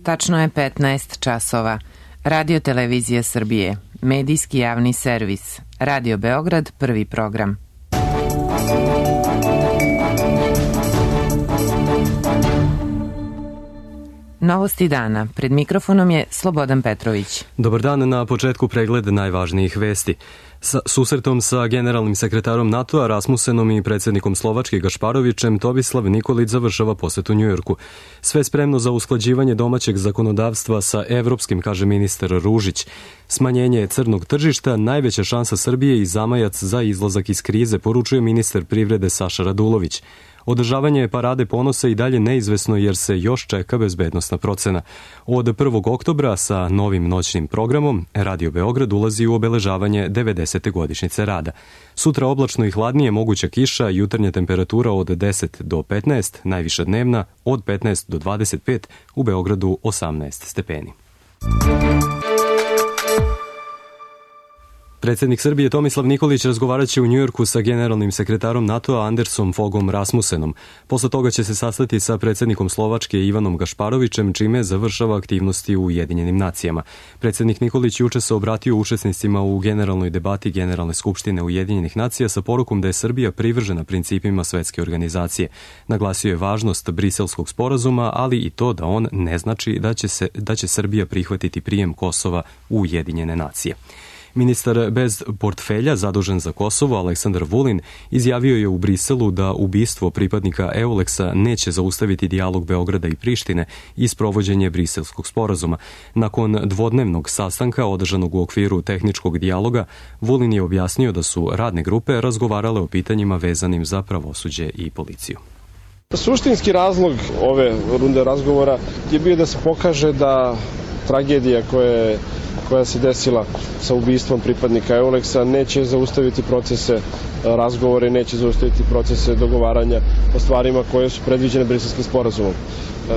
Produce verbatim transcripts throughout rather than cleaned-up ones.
Tačno je petnaest časova. Radio Televizija Srbije, medijski javni servis, Radio Beograd, prvi program. Novosti dana. Pred mikrofonom je Slobodan Petrović. Dobar dan, na početku pregled najvažnijih vesti. Sa susretom sa generalnim sekretarom NATO-a Rasmusenom i predsjednikom Slovačke Gašparovićem, Tomislav Nikolić završava posjet u Njujorku. Sve spremno za usklađivanje domaćeg zakonodavstva sa evropskim, kaže ministar Ružić. Smanjenje crnog tržišta, najveća šansa Srbije i zamajac za izlazak iz krize, poručuje ministar privrede Saša Radulović. Održavanje parade ponosa i dalje neizvesno jer se još čeka bezbednosna procena. Od prvog oktobra sa novim noćnim programom Radio Beograd ulazi u obeležavanje devedesete godišnjice rada. Sutra oblačno i hladnije, moguća kiša, jutarnja temperatura od deset do petnaest, najviša dnevna od petnaest do dvadeset pet, u Beogradu osamnaest stepeni. Predsjednik Srbije Tomislav Nikolić razgovarat će u Njujorku sa generalnim sekretarom NATO-a Andersom Fogom Rasmusenom. Posle toga će se sastati sa predsjednikom Slovačke Ivanom Gašparovićem, čime završava aktivnosti u Ujedinjenim nacijama. Predsjednik Nikolić juče se obratio učesnicima u generalnoj debati Generalne skupštine Ujedinjenih nacija sa porukom da je Srbija privržena principima svetske organizacije. Naglasio je važnost Briselskog sporazuma, ali i to da on ne znači da će, se, da će Srbija prihvatiti prijem Kosova u Ujedinjene nacije. Ministar bez portfelja zadužen za Kosovo, Aleksandar Vulin, izjavio je u Briselu da ubistvo pripadnika Euleksa neće zaustaviti dijalog Beograda i Prištine i sprovođenje Briselskog sporazuma. Nakon dvodnevnog sastanka održanog u okviru tehničkog dijaloga, Vulin je objasnio da su radne grupe razgovarale o pitanjima vezanim za pravosuđe i policiju. Suštinski razlog ove runde razgovora je bio da se pokaže da tragedija koja je koja se desila sa ubistvom pripadnika Euleksa neće zaustaviti procese razgovore, neće zaustaviti procese dogovaranja o stvarima koje su predviđene Briselskim sporazumom.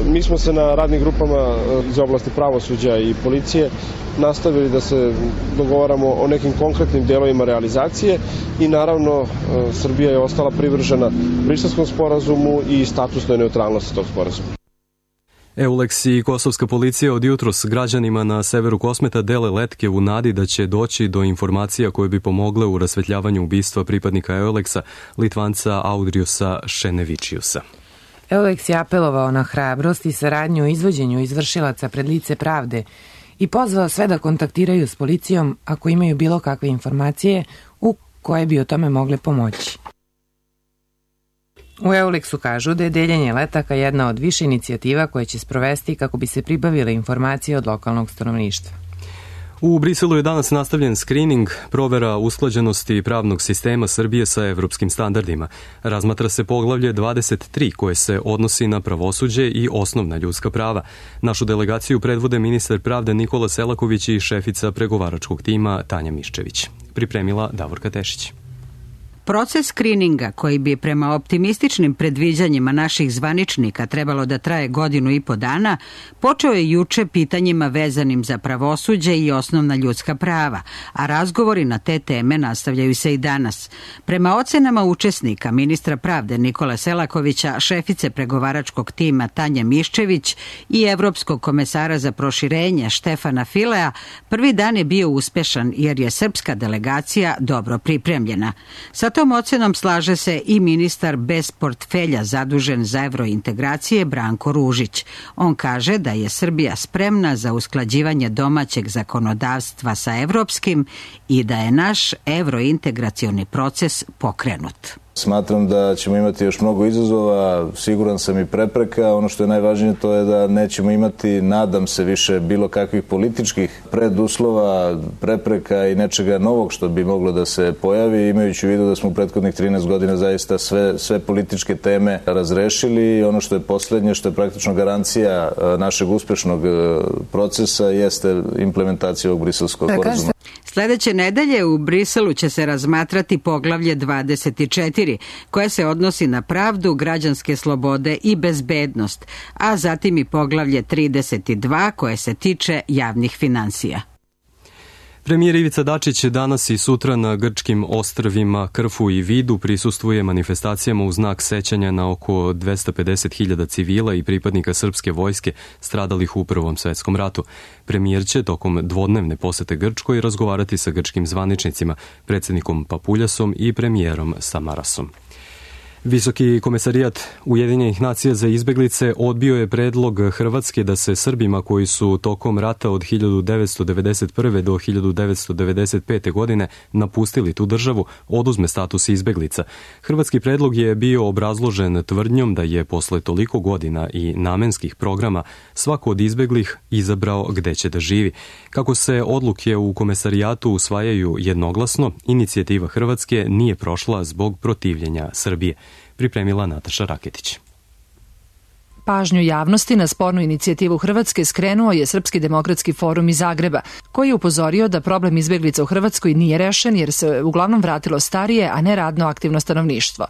Mi smo se na radnim grupama iz oblasti pravosuđa i policije nastavili da se dogovaramo o nekim konkretnim delovima realizacije i naravno Srbija je ostala privržena Briselskom sporazumu i statusnoj neutralnosti tog sporazuma. Euleks i kosovska policija od jutros građanima na severu Kosmeta dele letke u nadi da će doći do informacija koje bi pomogle u rasvetljavanju ubistva pripadnika Euleksa, Litvanca Audriusa Šenevičiusa. Euleks je apelovao na hrabrost i saradnju u izvođenju izvršilaca pred lice pravde i pozvao sve da kontaktiraju s policijom ako imaju bilo kakve informacije u koje bi o tome mogle pomoći. U Euleksu kažu da je deljenje letaka jedna od više inicijativa koje će sprovesti kako bi se pribavile informacije od lokalnog stanovništva. U Briselu je danas nastavljen skrining, provera usklađenosti pravnog sistema Srbije sa evropskim standardima. Razmatra se poglavlje dvadeset tri koje se odnosi na pravosuđe i osnovna ljudska prava. Našu delegaciju predvode ministar pravde Nikola Selaković i šefica pregovaračkog tima Tanja Miščević. Pripremila Davorka Tešić. Proces skrininga, koji bi prema optimističnim predviđanjima naših zvaničnika trebalo da traje godinu i po dana, počeo je juče pitanjima vezanim za pravosuđe i osnovna ljudska prava, a razgovori na te teme nastavljaju se i danas. Prema ocenama učesnika, ministra pravde Nikola Selakovića, šefice pregovaračkog tima Tanja Miščević i evropskog komesara za proširenje Štefana Filea, prvi dan je bio uspešan jer je srpska delegacija dobro pripremljena. Sa tom ocenom slaže se i ministar bez portfelja zadužen za evrointegracije Branko Ružić. On kaže da je Srbija spremna za usklađivanje domaćeg zakonodavstva sa evropskim i da je naš evrointegracioni proces pokrenut. Smatram da ćemo imati još mnogo izazova, siguran sam i prepreka. Ono što je najvažnije to je da nećemo imati, nadam se, više bilo kakvih političkih preduslova, prepreka i nečega novog što bi moglo da se pojavi, imajući u vidu da smo u prethodnih trinaest godina zaista sve, sve političke teme razrešili. Ono što je poslednje, što je praktično garancija našeg uspešnog procesa, jeste implementacija ovog Briselskog sporazuma. Sledeće nedelje u Briselu će se razmatrati poglavlje dvadeset četiri, koje se odnosi na pravdu, građanske slobode i bezbednost, a zatim i poglavlje trideset dva koje se tiče javnih finansija. Premijer Ivica Dačić danas i sutra na grčkim ostrvima Krfu i Vidu prisustvuje manifestacijama u znak sećanja na oko dvesta pedeset hiljada civila i pripadnika srpske vojske stradalih u Prvom svetskom ratu. Premijer će tokom dvodnevne posete Grčkoj razgovarati sa grčkim zvaničnicima, predsjednikom Papuljasom i premijerom Samarasom. Visoki komesarijat Ujedinjenih nacija za izbeglice odbio je predlog Hrvatske da se Srbima koji su tokom rata od hiljadu devetsto devedeset prve. do hiljadu devetsto devedeset pete. godine napustili tu državu oduzme status izbeglica. Hrvatski predlog je bio obrazložen tvrdnjom da je posle toliko godina i namenskih programa svako od izbeglih izabrao gde će da živi. Kako se odluke u komesarijatu usvajaju jednoglasno, inicijativa Hrvatske nije prošla zbog protivljenja Srbije. Pripremila Nataša Raketić. Pažnju javnosti na spornu inicijativu Hrvatske skrenuo je Srpski demokratski forum iz Zagreba, koji je upozorio da problem izbeglica u Hrvatskoj nije rešen jer se uglavnom vratilo starije, a ne radno aktivno stanovništvo.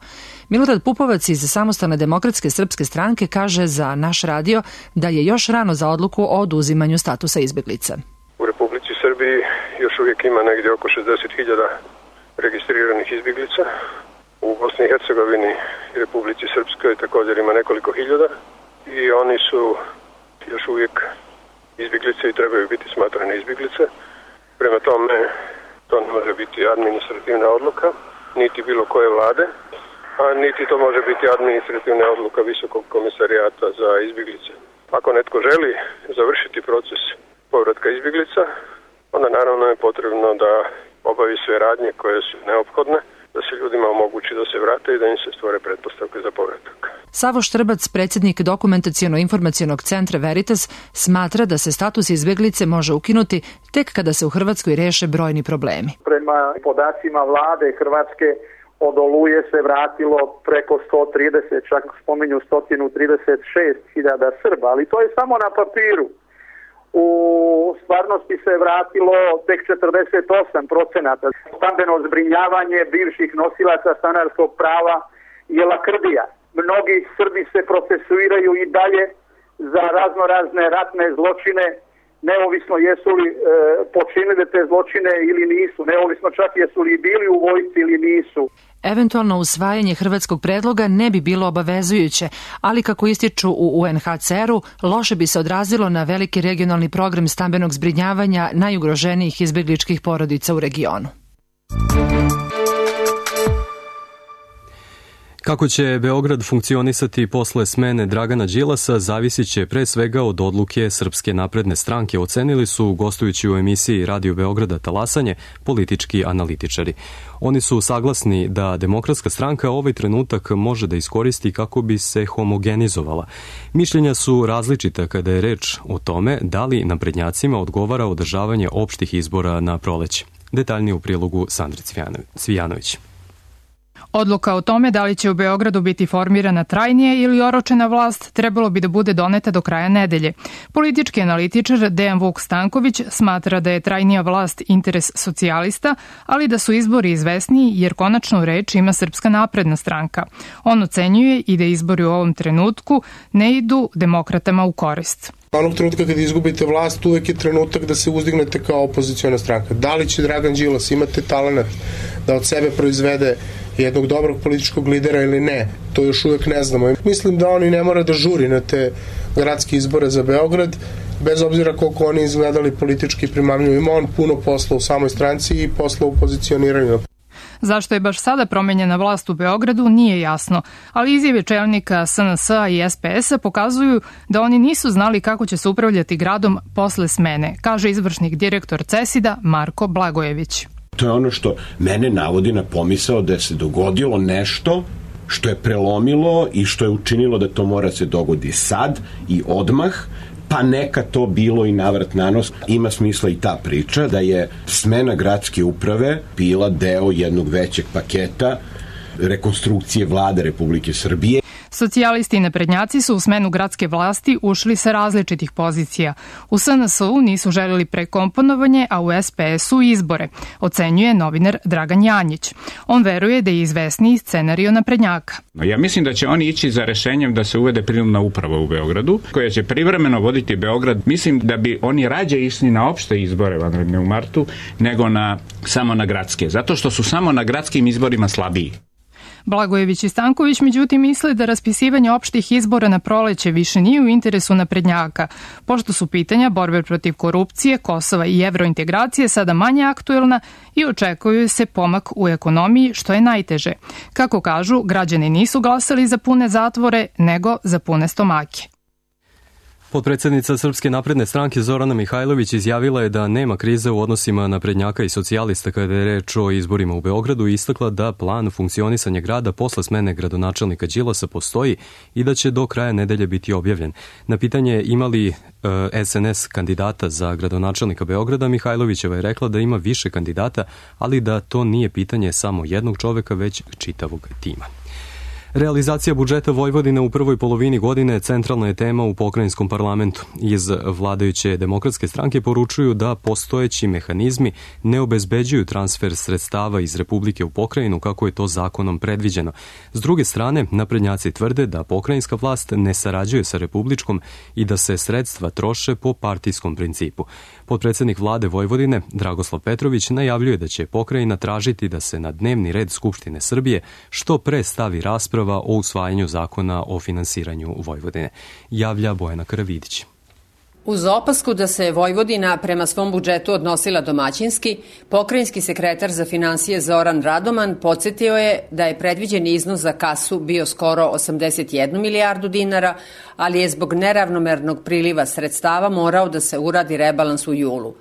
Milorad Pupovac iz Samostalne demokratske srpske stranke kaže za naš radio da je još rano za odluku o oduzimanju statusa izbeglica. U Republici Srbiji još uvijek ima negdje oko šezdeset hiljada registriranih izbeglica. U Bosni i Hercegovini i Republici Srpskoj također ima nekoliko hiljada i oni su još uvijek izbjeglice i trebaju biti smatrane izbjeglice. Prema tome, to ne može biti administrativna odluka, niti bilo koje vlade, a niti to može biti administrativna odluka Visokog komisarijata za izbjeglice. Ako netko želi završiti proces povratka izbjeglica, onda naravno je potrebno da obavi sve radnje koje su neophodne, da se ljudima omogući da se vrate i da im se stvore pretpostavke za povratak. Savo Štrbac, predsjednik Dokumentaciono-informacionog centra Veritas, smatra da se status izbeglice može ukinuti tek kada se u Hrvatskoj reše brojni problemi. Prema podacima vlade Hrvatske od Oluje se vratilo preko sto trideset, čak spominju sto trideset šest hiljada Srba, ali to je samo na papiru. U stvarnosti se vratilo tek četrdeset osam procenata. Stambeno zbrinjavanje bivših nosilaca stanarskog prava je lakrdija. Mnogi Srbi se procesuiraju i dalje za raznorazne ratne zločine, neovisno jesu li e, počinili te zločine ili nisu, neovisno čak jesu li bili u vojsci ili nisu. Eventualno usvajanje hrvatskog predloga ne bi bilo obavezujuće, ali kako ističu u U N H C R-u, loše bi se odrazilo na veliki regionalni program stambenog zbrinjavanja najugroženijih izbegličkih porodica u regionu. Kako će Beograd funkcionisati posle smene Dragana Đilasa zavisit će pre svega od odluke Srpske napredne stranke, ocenili su gostujući u emisiji Radio Beograda Talasanje politički analitičari. Oni su saglasni da Demokratska stranka ovaj trenutak može da iskoristi kako bi se homogenizovala. Mišljenja su različita kada je reč o tome da li naprednjacima odgovara održavanje opštih izbora na proleće. Detaljnije u prilogu Sandri Cvijanović. Odluka o tome da li će u Beogradu biti formirana trajnije ili oročena vlast trebalo bi da bude doneta do kraja nedelje. Politički analitičar Dejan Vuk Stanković smatra da je trajnija vlast interes socijalista, ali da su izbori izvesniji jer konačnu reč ima Srpska napredna stranka. On ocenjuje i da izbori u ovom trenutku ne idu demokratama u korist. Onog trenutka kada izgubite vlast, uvek je trenutak da se uzdignete kao opoziciona stranka. Da li će Dragan Đilas imati talenat da od sebe proizvede jednog dobrog političkog lidera ili ne, to još uvek ne znamo. Mislim da oni ne mora da žuri na te gradske izbore za Beograd, bez obzira koliko oni izgledali politički primamljivo. Ima on puno posla u samoj stranci i posla u pozicioniranju. Zašto je baš sada promenjena vlast u Beogradu nije jasno, ali izjave čelnika S N S-a i S P S-a pokazuju da oni nisu znali kako će se upravljati gradom posle smene, kaže izvršnik direktor CESID-a Marko Blagojević. To je ono što mene navodi na pomisao da se dogodilo nešto što je prelomilo i što je učinilo da to mora se dogodi sad i odmah, pa neka to bilo i navrat na nos. Ima smisla i ta priča da je smena gradske uprave bila deo jednog većeg paketa rekonstrukcije vlade Republike Srbije. Socijalisti i naprednjaci su u smenu gradske vlasti ušli sa različitih pozicija. U S N S-u nisu želeli prekomponovanje, a u S P S-u izbore, ocenjuje novinar Dragan Janjić. On veruje da je izvesniji scenario naprednjaka. Ja mislim da će oni ići za rešenjem da se uvede prinudna uprava u Beogradu, koja će privremeno voditi Beograd. Mislim da bi oni rađe išli na opšte izbore vanredne u martu, nego na, samo na gradske, zato što su samo na gradskim izborima slabiji. Blagojević i Stanković međutim misle da raspisivanje opštih izbora na proleće više nije u interesu naprednjaka, pošto su pitanja borbe protiv korupcije, Kosova i evrointegracije sada manje aktuelna i očekuju se pomak u ekonomiji, što je najteže. Kako kažu, građani nisu glasali za pune zatvore, nego za pune stomake. Potpredsednica Srpske napredne stranke Zorana Mihajlović izjavila je da nema krize u odnosima naprednjaka i socijalista kada je reč o izborima u Beogradu i istakla da plan funkcionisanja grada posle smene gradonačelnika Đilasa postoji i da će do kraja nedelje biti objavljen. Na pitanje ima li e, S N S kandidata za gradonačelnika Beograda, Mihajlovićeva je rekla da ima više kandidata, ali da to nije pitanje samo jednog čoveka, već čitavog tima. Realizacija budžeta Vojvodine u prvoj polovini godine centralna je tema u pokrajinskom parlamentu. Iz vladajuće demokratske stranke poručuju da postojeći mehanizmi ne obezbeđuju transfer sredstava iz Republike u pokrajinu kako je to zakonom predviđeno. S druge strane, naprednjaci tvrde da pokrajinska vlast ne sarađuje sa republičkom i da se sredstva troše po partijskom principu. Potpredsednik vlade Vojvodine, Dragoslav Petrović, najavljuje da će pokrajina tražiti da se na dnevni red Skupštine Srbije što pre stavi rasprava o usvajanju zakona o finansiranju Vojvodine. Javlja Bojana Karavidić. Uz opasku da se Vojvodina prema svom budžetu odnosila domaćinski, pokrajinski sekretar za finansije Zoran Radoman podsjetio je da je predviđen iznos za kasu bio skoro osamdeset jednu milijardu dinara, ali je zbog neravnomernog priliva sredstava morao da se uradi rebalans u julu.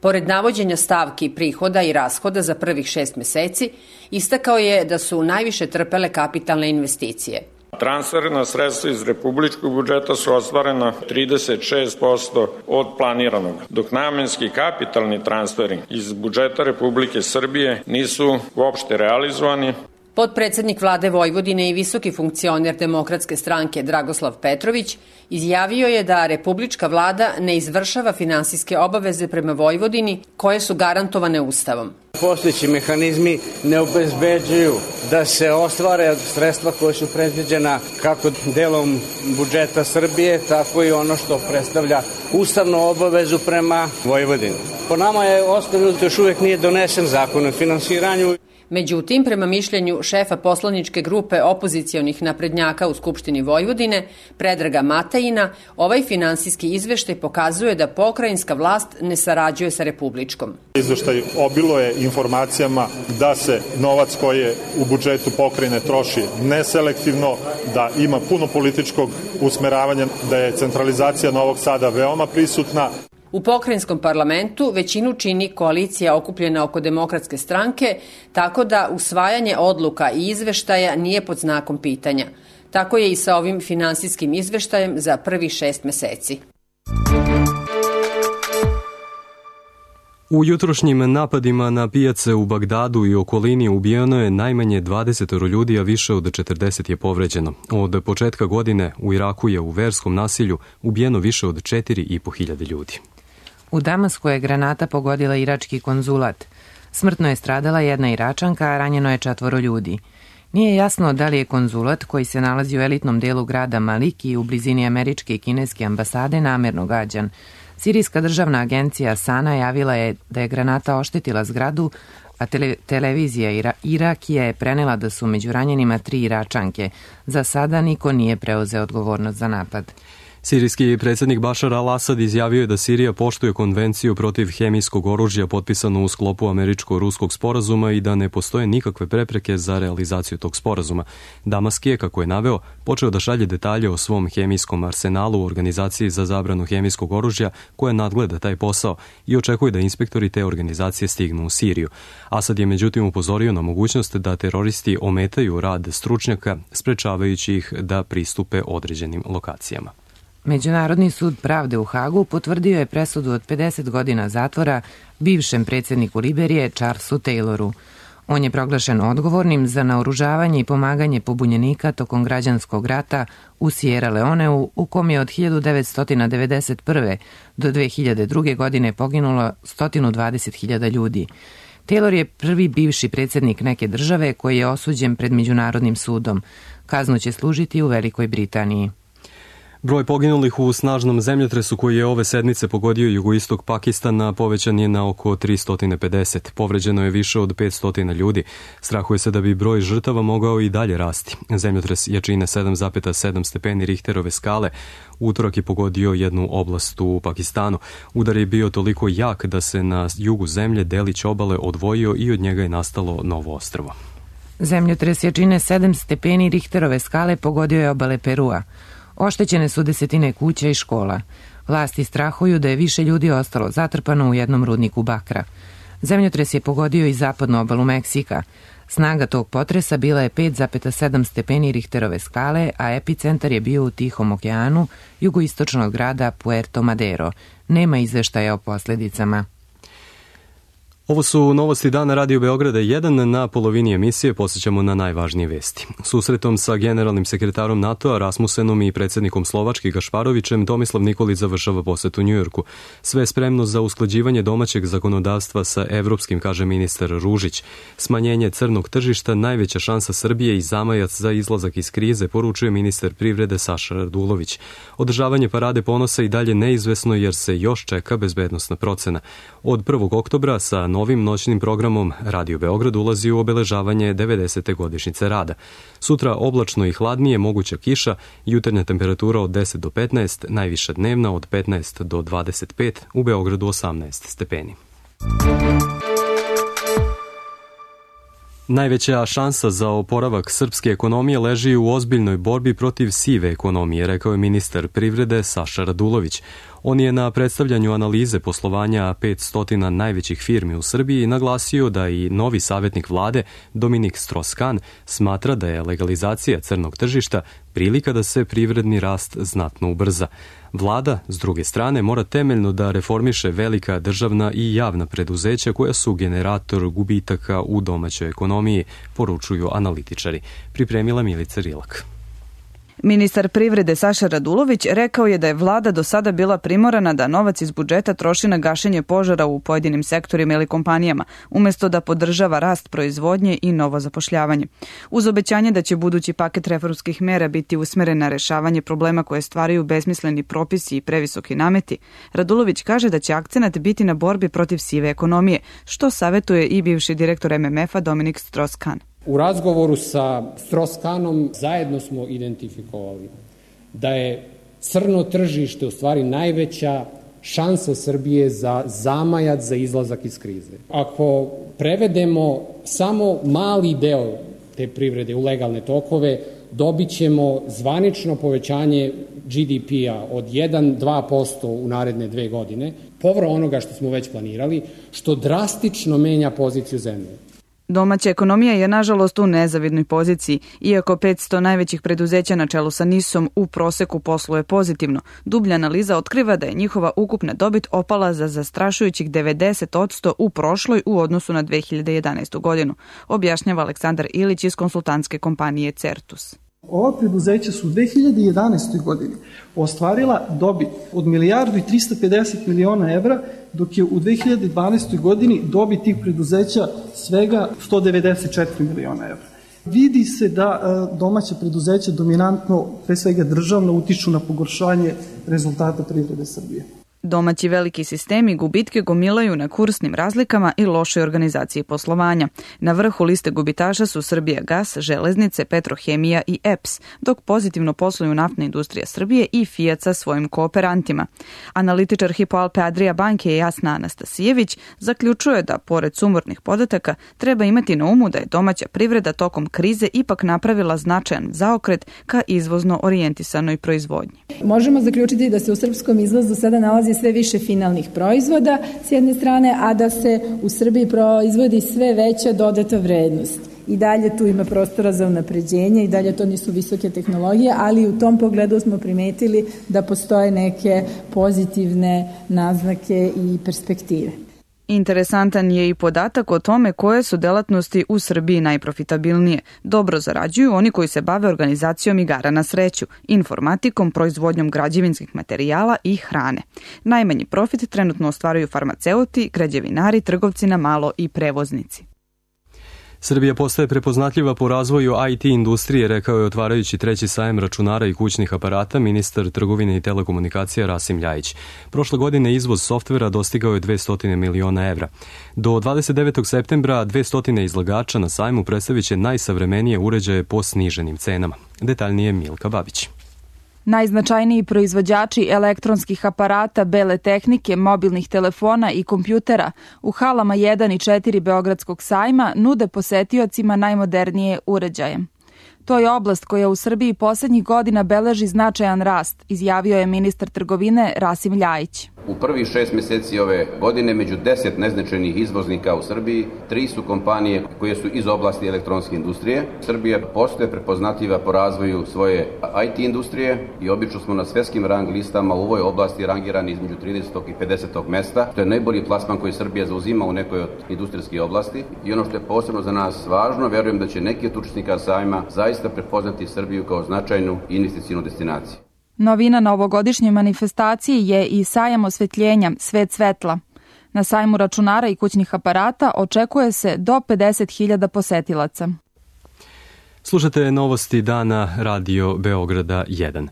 Pored navođenja stavki prihoda i rashoda za prvih šest meseci, istakao je da su najviše trpele kapitalne investicije. Transferna sredstva iz republičkog budžeta su ostvarena trideset šest posto od planiranog, dok namenski kapitalni transferi iz budžeta Republike Srbije nisu uopšte realizovani. Potpredsednik vlade Vojvodine i visoki funkcioner Demokratske stranke Dragoslav Petrović izjavio je da republička vlada ne izvršava finansijske obaveze prema Vojvodini koje su garantovane Ustavom. Postojeći mehanizmi ne obezbeđuju da se ostvare sredstva koje su predviđena kako delom budžeta Srbije, tako i ono što predstavlja ustavnu obavezu prema Vojvodini. Po nama je ostavljeno da još uvek nije donesen zakon o finansiranju. Međutim, prema mišljenju šefa poslaničke grupe opozicionih naprednjaka u Skupštini Vojvodine, Predraga Matajina, ovaj finansijski izveštaj pokazuje da pokrajinska vlast ne sarađuje sa republičkom. Izveštaj obiluje informacijama da se novac koji je u budžetu pokrajine troši neselektivno, da ima puno političkog usmeravanja, da je centralizacija Novog Sada veoma prisutna. U pokrajinskom parlamentu većinu čini koalicija okupljena oko Demokratske stranke, tako da usvajanje odluka i izveštaja nije pod znakom pitanja. Tako je i sa ovim finansijskim izveštajem za prvih šest meseci. U jutrošnjim napadima na pijace u Bagdadu i okolini ubijeno je najmanje dvadeset ljudi, a više od četrdeset je povređeno. Od početka godine u Iraku je u verskom nasilju ubijeno više od četiri i po hiljade ljudi. U Damasku je granata pogodila irački konzulat. Smrtno je stradala jedna Iračanka, a ranjeno je četvoro ljudi. Nije jasno da li je konzulat, koji se nalazi u elitnom delu grada Maliki u blizini američke i kineske ambasade, namerno gađan. Sirijska državna agencija Sana javila je da je granata oštetila zgradu, a tele, televizija Ira, Irakija je prenela da su među ranjenima tri Iračanke. Za sada niko nije preuzeo odgovornost za napad. Sirijski predsjednik Bašar al-Asad izjavio je da Sirija poštuje konvenciju protiv hemijskog oružja potpisanu u sklopu američko-ruskog sporazuma i da ne postoje nikakve prepreke za realizaciju tog sporazuma. Damask je, kako je naveo, počeo da šalje detalje o svom hemijskom arsenalu u organizaciji za zabranu hemijskog oružja koja nadgleda taj posao i očekuje da inspektori te organizacije stignu u Siriju. Asad je međutim upozorio na mogućnost da teroristi ometaju rad stručnjaka, sprečavajući ih da pristupe određenim lokacijama. Međunarodni sud pravde u Hagu potvrdio je presudu od pedeset godina zatvora bivšem predsjedniku Liberije Charlesu Tayloru. On je proglašen odgovornim za naoružavanje i pomaganje pobunjenika tokom građanskog rata u Sierra Leoneu, u kom je od hiljadu devetsto devedeset prve. do dve hiljade druge. godine poginulo sto dvadeset hiljada ljudi. Taylor je prvi bivši predsjednik neke države koji je osuđen pred Međunarodnim sudom. Kaznu će služiti u Velikoj Britaniji. Broj poginulih u snažnom zemljotresu koji je ove sedmice pogodio jugoistok Pakistana povećan je na oko tristo pedeset. Povređeno je više od petsto ljudi. Strahuje se da bi broj žrtava mogao i dalje rasti. Zemljotres jačine sedam zarez sedam stepeni Richterove skale utorak je pogodio jednu oblast u Pakistanu. Udar je bio toliko jak da se na jugu zemlje delić obale odvojio i od njega je nastalo novo ostrvo. Zemljotres jačine sedam stepeni Richterove skale pogodio je obale Perua. Oštećene su desetine kuća i škola. Vlasti strahuju da je više ljudi ostalo zatrpano u jednom rudniku bakra. Zemljotres je pogodio i zapadnu obalu Meksika. Snaga tog potresa bila je pet zarez sedam stepeni Richterove skale, a epicentar je bio u Tihom okeanu, jugoistočno grada Puerto Madero. Nema izveštaja o posljedicama. Ovo su novosti dana Radio Beograda jedan. Na polovini emisije posjećamo na najvažnije vesti. Susretom sa generalnim sekretarom NATO-a Rasmusenom i predsjednikom Slovačke Gašparovićem Tomislav Nikolić završava posjet u Njujorku. Sve je spremno za usklađivanje domaćeg zakonodavstva sa evropskim, kaže ministar Ružić. Smanjenje crnog tržišta najveća šansa Srbije i zamajac za izlazak iz krize, poručuje ministar privrede Saša Radulović. Održavanje parade ponosa i dalje neizvesno jer se još čeka bezbednosna procena. Od prvog oktobra sa novim noćnim programom Radio Beograd ulazi u obeležavanje devedesete godišnjice rada. Sutra oblačno i hladnije, moguća kiša, jutarnja temperatura od deset do petnaest, najviša dnevna od petnaest do dvadeset pet, u Beogradu osamnaest stepeni. Najveća šansa za oporavak srpske ekonomije leži u ozbiljnoj borbi protiv sive ekonomije, rekao je ministar privrede Saša Radulović. On je na predstavljanju analize poslovanja petsto najvećih firmi u Srbiji naglasio da i novi savjetnik vlade Dominik Strauss-Kahn smatra da je legalizacija crnog tržišta prilika da se privredni rast znatno ubrza. Vlada, s druge strane, mora temeljno da reformiše velika državna i javna preduzeća koja su generator gubitaka u domaćoj ekonomiji, poručuju analitičari. Pripremila Milica Rilak. Ministar privrede Saša Radulović rekao je da je vlada do sada bila primorana da novac iz budžeta troši na gašenje požara u pojedinim sektorima ili kompanijama, umjesto da podržava rast proizvodnje i novo zapošljavanje. Uz obećanje da će budući paket reformskih mera biti usmeren na rešavanje problema koje stvaraju besmisleni propisi i previsoki nameti, Radulović kaže da će akcenat biti na borbi protiv sive ekonomije, što savjetuje i bivši direktor M M F-a Dominik Strauss-Kahn. U razgovoru sa Strauss-Kahnom zajedno smo identifikovali da je crno tržište u stvari najveća šansa Srbije za zamajac za izlazak iz krize. Ako prevedemo samo mali deo te privrede u legalne tokove, dobit ćemo zvanično povećanje G D P-a od jedan do dva posto u naredne dve godine, povro onoga što smo već planirali, što drastično menja poziciju zemlje. Domaća ekonomija je nažalost u nezavidnoj poziciji, iako petsto najvećih preduzeća na čelu sa NIS-om u proseku posluje pozitivno. Dublja analiza otkriva da je njihova ukupna dobit opala za zastrašujućih devedeset posto u prošloj u odnosu na dve hiljade jedanaestu. godinu, objašnjava Aleksandar Ilić iz konsultantske kompanije Certus. Ova preduzeća su u dve hiljade jedanaestoj. godini ostvarila dobit od milijardu i trista pedeset miliona evra, dok je u dve hiljade dvanaestoj. godini dobit tih preduzeća svega sto devedeset četiri miliona evra. Vidi se da domaća preduzeća dominantno, pre svega državno, utiču na pogoršanje rezultata privrede Srbije. Domaći veliki sistemi gubitke gomilaju na kursnim razlikama i lošoj organizaciji poslovanja. Na vrhu liste gubitaša su Srbijagas, Železnice, Petrohemija i E P S, dok pozitivno posluju Naftna industrija Srbije i Fiat sa svojim kooperantima. Analitičar Hypo Alpe Adria banke Jasna Anastasijević zaključuje da, pored sumornih podataka, treba imati na umu da je domaća privreda tokom krize ipak napravila značajan zaokret ka izvozno orijentisanoj proizvodnji. Možemo zaključiti da se u srpskom izvozu sada nalazi sve više finalnih proizvoda s jedne strane, a da se u Srbiji proizvodi sve veća dodata vrednost. I dalje tu ima prostora za unapređenje i dalje to nisu visoke tehnologije, ali u tom pogledu smo primetili da postoje neke pozitivne naznake i perspektive. Interesantan je i podatak o tome koje su delatnosti u Srbiji najprofitabilnije. Dobro zarađuju oni koji se bave organizacijom igara na sreću, informatikom, proizvodnjom građevinskih materijala i hrane. Najmanji profit trenutno ostvaruju farmaceuti, građevinari, trgovci na malo i prevoznici. Srbija postaje prepoznatljiva po razvoju I T industrije, rekao je otvarajući treći sajem računara i kućnih aparata ministar trgovine i telekomunikacija Rasim Ljajić. Prošle godine izvoz softvera dostigao je dvesta miliona evra. Do dvadeset devetog septembra dvesta izlagača na sajmu predstavit će najsavremenije uređaje po sniženim cenama. Detaljnije Milka Babić. Najznačajniji proizvođači elektronskih aparata, bele tehnike, mobilnih telefona i kompjutera u halama jedan i četiri Beogradskog sajma nude posetiocima najmodernije uređaje. To je oblast koja u Srbiji poslednjih godina beleži značajan rast, izjavio je ministar trgovine Rasim Ljajić. U prvih šest meseci ove godine među deset neznačajnih izvoznika u Srbiji, tri su kompanije koje su iz oblasti elektronske industrije. Srbija postaje prepoznatljiva po razvoju svoje I T industrije i obično smo na svetskim rang listama u ovoj oblasti rangirani između tridesetog i pedesetog mesta. To je najbolji plasman koji Srbija zauzima u nekoj od industrijskih oblasti. I ono što je posebno za nas važno, verujem da će neki od učesnika sajma zaista prepoznati Srbiju kao značajnu investicijnu destinaciju. Novina na ovogodišnjoj manifestaciji je i sajam osvetljenja Svet svetla. Na sajmu računara i kućnih aparata očekuje se do pedeset hiljada posetilaca. Slušate novosti dana Radio Beograda jedan.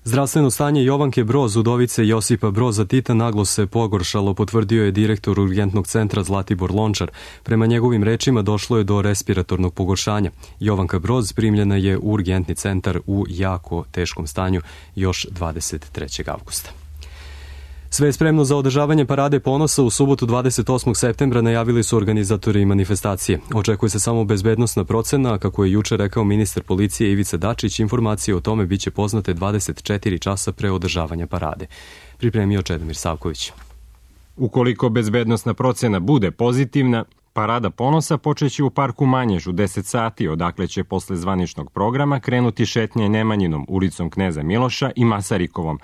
Zdravstveno stanje Jovanke Broz, udovice Josipa Broza Tita, naglo se pogoršalo, potvrdio je direktor urgentnog centra Zlatibor Lončar. Prema njegovim rečima došlo je do respiratornog pogoršanja. Jovanka Broz primljena je u urgentni centar u jako teškom stanju još dvadeset trećeg avgusta. Sve je spremno za održavanje Parade ponosa u subotu dvadeset osmog septembra, najavili su organizatori manifestacije. Očekuje se samo bezbednosna procena, a kako je juče rekao ministar policije Ivica Dačić, informacije o tome biće poznate dvadeset četiri časa pre održavanja parade. Pripremio Čedomir Savković. Ukoliko bezbednosna procena bude pozitivna, Parada ponosa počeće u parku Manjež u deset sati, odakle će posle zvaničnog programa krenuti šetnje Nemanjinom, ulicom Kneza Miloša i Masarikovom.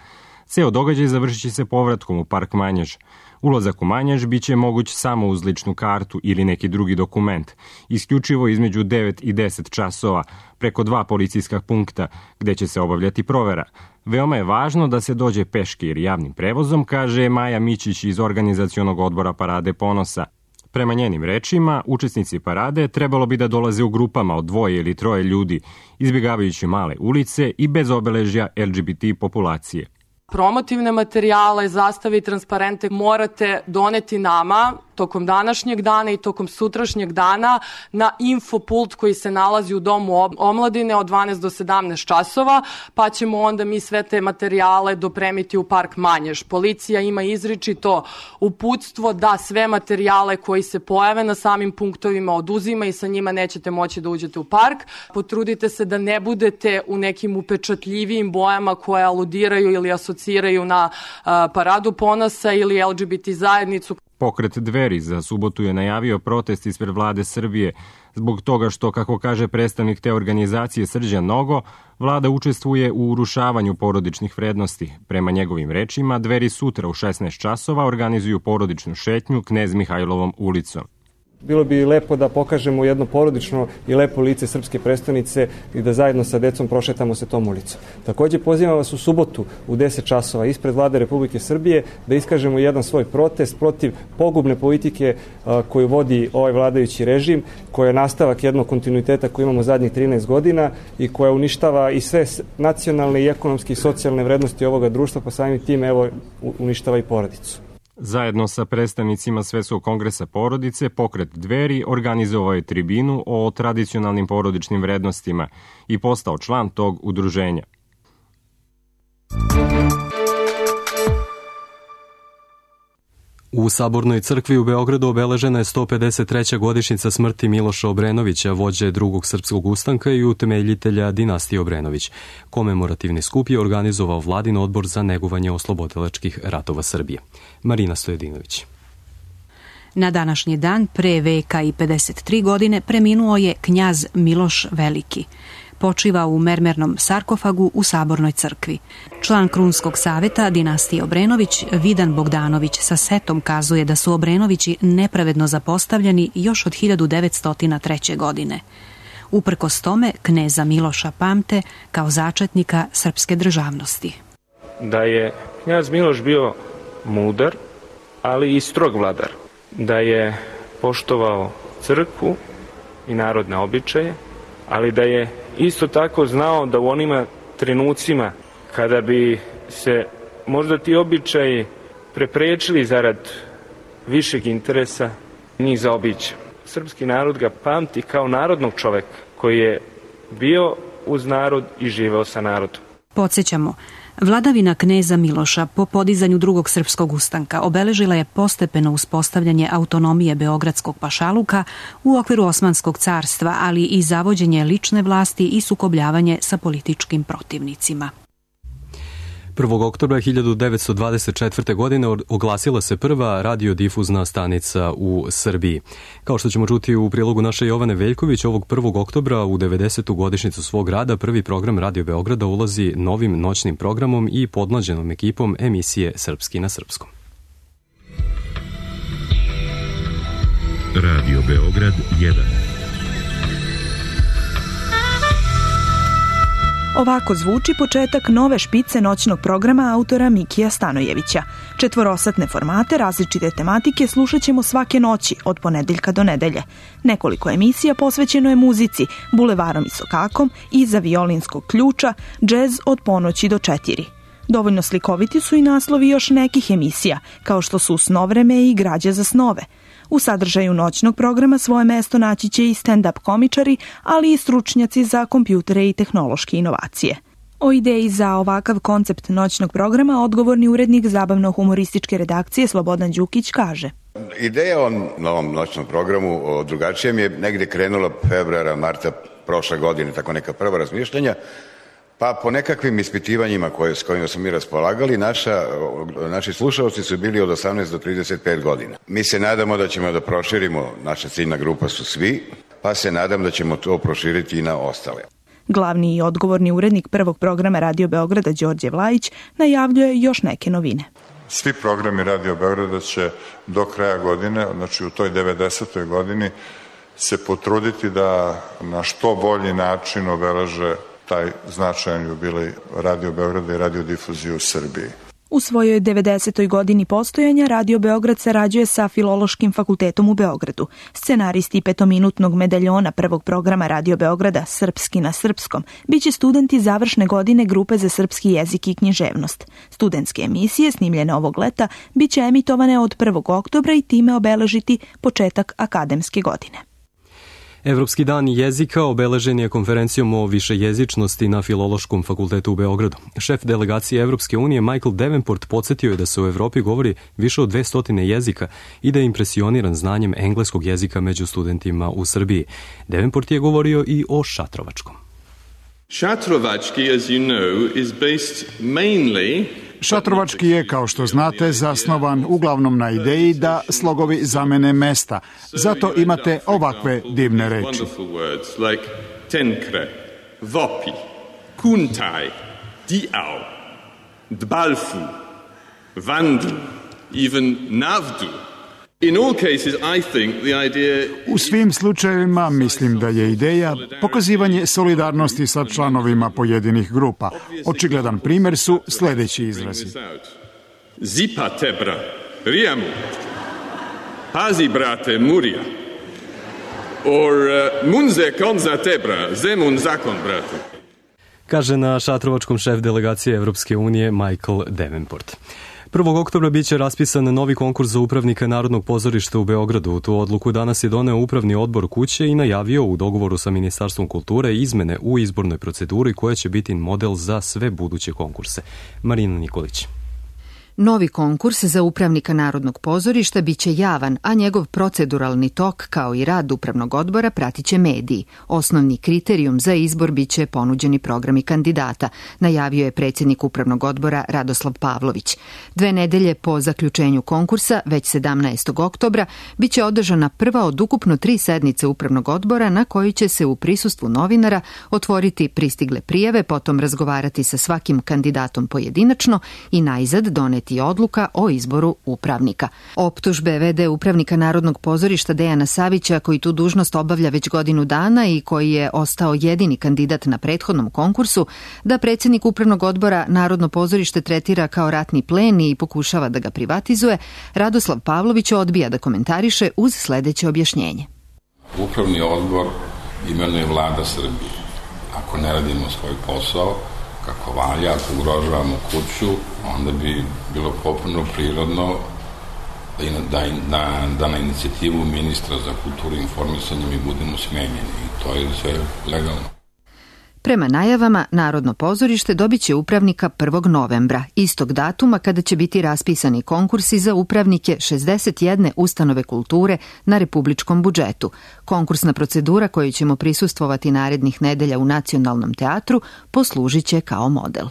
Ceo događaj završit će se povratkom u park Manjež. Ulazak u Manjež biće moguć samo uz ličnu kartu ili neki drugi dokument, isključivo između devet i deset časova, preko dva policijska punkta, gde će se obavljati provera. Veoma je važno da se dođe peške ili javnim prevozom, kaže Maja Mićić iz organizacionog odbora Parade ponosa. Prema njenim rečima, učesnici parade trebalo bi da dolaze u grupama od dvoje ili troje ljudi, izbjegavajući male ulice i bez obeležja L G B T populacije. Promotivne materijale, zastave i transparente morate doneti nama tokom današnjeg dana i tokom sutrašnjeg dana na infopult koji se nalazi u Domu omladine od dvanaest do sedamnaest časova, pa ćemo onda mi sve te materijale dopremiti u park Manjež. Policija ima izričito uputstvo da sve materijale koji se pojave na samim punktovima oduzima i sa njima nećete moći da uđete u park. Potrudite se da ne budete u nekim upečatljivijim bojama koje aludiraju ili asociraju na uh, Paradu ponosa ili L G B T zajednicu. Pokret Dveri za subotu je najavio protest ispred vlade Srbije zbog toga što, kako kaže predstavnik te organizacije Srđan Nogo, vlada učestvuje u urušavanju porodičnih vrednosti. Prema njegovim rečima, Dveri sutra u šesnaest časova organizuju porodičnu šetnju Knez Mihajlovom ulicom. Bilo bi lepo da pokažemo jedno porodično i lepo lice srpske prestonice i da zajedno sa decom prošetamo se tom ulicom. Takođe pozivam vas u subotu u deset časova ispred vlade Republike Srbije da iskažemo jedan svoj protest protiv pogubne politike koju vodi ovaj vladajući režim, koja je nastavak jednog kontinuiteta koji imamo zadnjih trinaest godina i koja uništava i sve nacionalne i ekonomske i socijalne vrednosti ovoga društva, pa samim tim evo uništava i porodicu. Zajedno sa predstavnicima Svetskog kongresa porodice, pokret Dveri organizovao je tribinu o tradicionalnim porodičnim vrednostima i postao član tog udruženja. U Sabornoj crkvi u Beogradu obeležena je sto pedeset treća godišnjica smrti Miloša Obrenovića, vođe drugog srpskog ustanka i utemeljitelja dinastije Obrenović. Komemorativni skup je organizovao Vladin odbor za negovanje oslobodilačkih ratova Srbije. Marina Stojedinović. Na današnji dan, pre veka i pedeset tri godine, preminuo je knjaz Miloš Veliki. počiva u mermernom sarkofagu u Sabornoj crkvi. Član Krunskog saveta dinastije Obrenović, Vidan Bogdanović sa setom kazuje da su Obrenovići nepravedno zapostavljeni još od hiljadu devetsto treće. godine. Uprkos tome, kneza Miloša pamte kao začetnika srpske državnosti. Da je knjaz Miloš bio mudar, ali i strog vladar. Da je poštovao crkvu i narodne običaje, ali da je isto tako znao da u onima trenucima kada bi se možda ti običaji preprečili zarad višeg interesa, njih zaobići. Srpski narod ga pamti kao narodnog čoveka koji je bio uz narod i živeo sa narodom. Podsjećamo, vladavina kneza Miloša po podizanju drugog srpskog ustanka obeležila je postepeno uspostavljanje autonomije Beogradskog pašaluka u okviru Osmanskog carstva, ali i zavođenje lične vlasti i sukobljavanje sa političkim protivnicima. prvog oktobra hiljadu devetsto dvadeset četvrte. godine oglasila se prva radiodifuzna stanica u Srbiji. Kao što ćemo čuti u prilogu naše Jovane Veljković, ovog prvog oktobra u devedesetu godišnjicu svog rada prvi program Radio Beograda ulazi novim noćnim programom i podmlađenom ekipom emisije Srpski na srpskom. Radio Beograd jedan. Ovako zvuči početak nove špice noćnog programa autora Mikija Stanojevića. Četvorosatne formate različite tematike slušat ćemo svake noći, od ponedeljka do nedelje. Nekoliko emisija posvećeno je muzici, bulevarom i sokakom, iza violinskog ključa, džez od ponoći do četiri. Dovoljno slikoviti su i naslovi još nekih emisija, kao što su Snovreme i Građe za snove. U sadržaju noćnog programa svoje mesto naći će i stand-up komičari, ali i stručnjaci za kompjutere i tehnološke inovacije. O ideji za ovakav koncept noćnog programa odgovorni urednik zabavno-humorističke redakcije Slobodan Đukić kaže: Ideja o novom noćnom programu, o drugačijem, je negde krenula februara, marta prošle godine, tako neka prva razmišljanja. Pa po nekakvim ispitivanjima koje, s kojima smo mi raspolagali, naša, naši slušalci su bili od osamnaest do trideset pet godina. Mi se nadamo da ćemo da proširimo, naša ciljna grupa su svi, pa se nadam da ćemo to proširiti i na ostale. Glavni i odgovorni urednik prvog programa Radio Beograda Đorđe Vlajić najavljuje još neke novine. Svi programi Radio Beograda će do kraja godine, znači u toj devedesetoj godini, se potruditi da na što bolji način obeleže taj značajan jubilej Radio Beograda i radiodifuzije u Srbiji. U svojoj devedesetoj godini postojanja Radio Beograd sarađuje sa Filološkim fakultetom u Beogradu. Scenaristi petominutnog medaljona prvog programa Radio Beograda Srpski na srpskom biće studenti završne godine grupe za srpski jezik i književnost. Studentske emisije snimljene ovog leta biće emitovane od prvog oktobra i time obeležiti početak akademske godine. Evropski dan jezika obeležen je konferencijom o višejezičnosti na Filološkom fakultetu u Beogradu. Šef delegacije Evropske unije Michael Davenport podsjetio je da se u Evropi govori više od dvesta jezika i da je impresioniran znanjem engleskog jezika među studentima u Srbiji. Davenport je govorio i o šatrovačkom. Šatrovački, as you know, is based mainly Šatrovački je, kao što znate, zasnovan uglavnom na ideji da slogovi zamene mesta. Zato imate ovakve divne reči. Tenkre, vopi, kuntaj, diau, dbalfu, vandl, even navdu. In all cases, I think the idea... U svim slučajevima mislim da je ideja pokazivanje solidarnosti sa članovima pojedinih grupa. Očigledan primjer su sljedeći izrazi. Zipa tebra, rijamu, pazi brate, murija, or uh, munze konza tebra, zemun zakon brate. Kaže na šatrovačkom šef delegacije Evropske unije Michael Davenport. prvog oktobra biće raspisan novi konkurs za upravnika Narodnog pozorišta u Beogradu. Tu odluku danas je doneo upravni odbor kuće i najavio u dogovoru sa Ministarstvom kulture izmene u izbornoj proceduri koja će biti model za sve buduće konkurse. Marina Nikolić. Novi konkurs za upravnika Narodnog pozorišta biće javan, a njegov proceduralni tok, kao i rad upravnog odbora, pratiće mediji. Osnovni kriterijum za izbor biće ponuđeni programi kandidata, najavio je predsjednik upravnog odbora Radoslav Pavlović. Dve nedelje po zaključenju konkursa, već sedamnaestog oktobra, biće održana prva od ukupno tri sednice upravnog odbora na kojoj će se u prisustvu novinara otvoriti pristigle prijave, potom razgovarati sa svakim kandidatom pojedinačno i najzad doneti odluka o izboru upravnika. Optužbe ve de upravnika Narodnog pozorišta Dejana Savića, koji tu dužnost obavlja već godinu dana i koji je ostao jedini kandidat na prethodnom konkursu, da predsjednik upravnog odbora Narodno pozorište tretira kao ratni plen i pokušava da ga privatizuje, Radoslav Pavlović odbija da komentariše uz sledeće objašnjenje. Upravni odbor imenuje vlada Srbije. Ako ne radimo svoj posao kako valja, ako ugrožavamo kuću, onda bi bilo potpuno prirodno da, da, da, da na inicijativu ministra za kulturu i informisanje mi budemo smenjeni. I to je sve legalno. Prema najavama, Narodno pozorište dobit će upravnika prvog novembra, istog datuma kada će biti raspisani konkursi za upravnike šezdeset jedne ustanove kulture na republičkom budžetu. Konkursna procedura koju ćemo prisustvovati narednih nedelja u Nacionalnom teatru poslužit će kao model.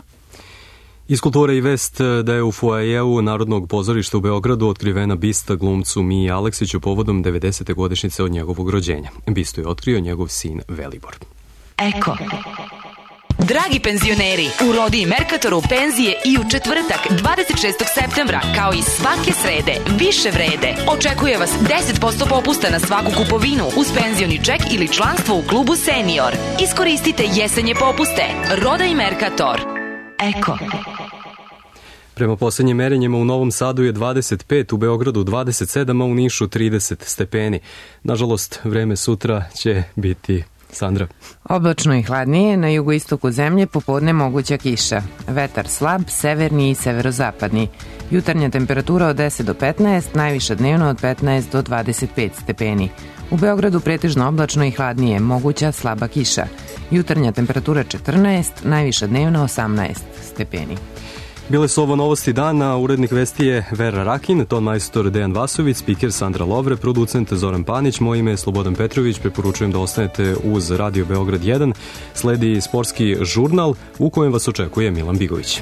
Iz kulture i vest da je u foajeu Narodnog pozorišta u Beogradu otkrivena bista glumcu Miji Aleksiću povodom devedesete godišnjice od njegovog rođenja. Bistu je otkrio njegov sin Velibor. Eko. Dragi penzioneri, u Rodi i Merkatoru penzije i u četvrtak dvadeset šestog septembra, kao i svake srede, više vrede. Očekuje vas deset posto popusta na svaku kupovinu uz penzioni ček ili članstvo u klubu Senior. Iskoristite jesenje popuste. Roda i Merkator. Eko. Prema poslednjim merenjima u Novom Sadu je dvadeset pet, u Beogradu dvadeset sedam, a u Nišu trideset stepeni. Nažalost, vreme sutra će biti... Sandra. Oblačno i hladnije, na jugoistoku zemlje popodne moguća kiša. Vetar slab, severni i severozapadni. Jutarnja temperatura od deset do petnaest, najviša dnevno od petnaest do dvadeset pet stepeni. U Beogradu pretežno oblačno i hladnije, moguća slaba kiša. Jutarnja temperatura četrnaest, najviša dnevno osamnaest stepeni. Bile su ovo novosti dana, urednik vesti je Vera Rakin, ton majstor Dejan Vasović, spiker Sandra Lovre, producent Zoran Panić, moje ime je Slobodan Petrović, preporučujem da ostanete uz Radio Beograd jedan, sledi sportski žurnal u kojem vas očekuje Milan Bigović.